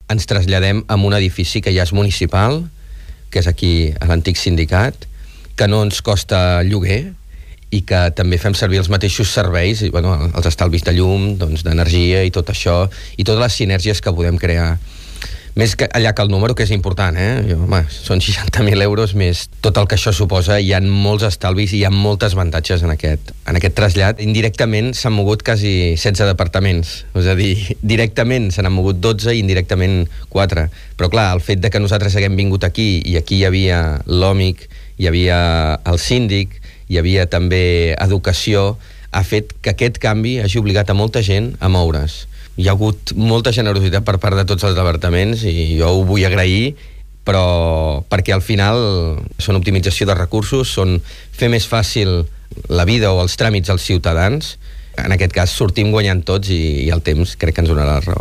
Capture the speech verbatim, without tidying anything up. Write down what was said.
ens traslladem a un edifici que ja és municipal, que és aquí a l'antic sindicat, que no ens costa lloguer i que també fem servir els mateixos serveis, i, bueno, els estalvis de llum, doncs, d'energia i tot això, i totes les sinergies que podem crear. Més que allà que el número, que és important, eh? Jo, home, són seixanta mil euros més tot el que això suposa, hi ha molts estalvis i hi ha moltes avantatges en aquest, en aquest trasllat. Indirectament s'han mogut quasi setze departaments, és a dir, directament se n'han mogut dotze i indirectament quatre. Però clar, el fet de que nosaltres haguem vingut aquí i aquí hi havia l'òmic, hi havia el síndic, hi havia també educació, ha fet que aquest canvi hagi obligat a molta gent a moure's. Hi ha hagut molta generositat per part de tots els departaments i jo ho vull agrair, però perquè al final són optimització de recursos, són fer més fàcil la vida o els tràmits als ciutadans. En aquest cas sortim guanyant tots i, i el temps crec que ens donarà la raó.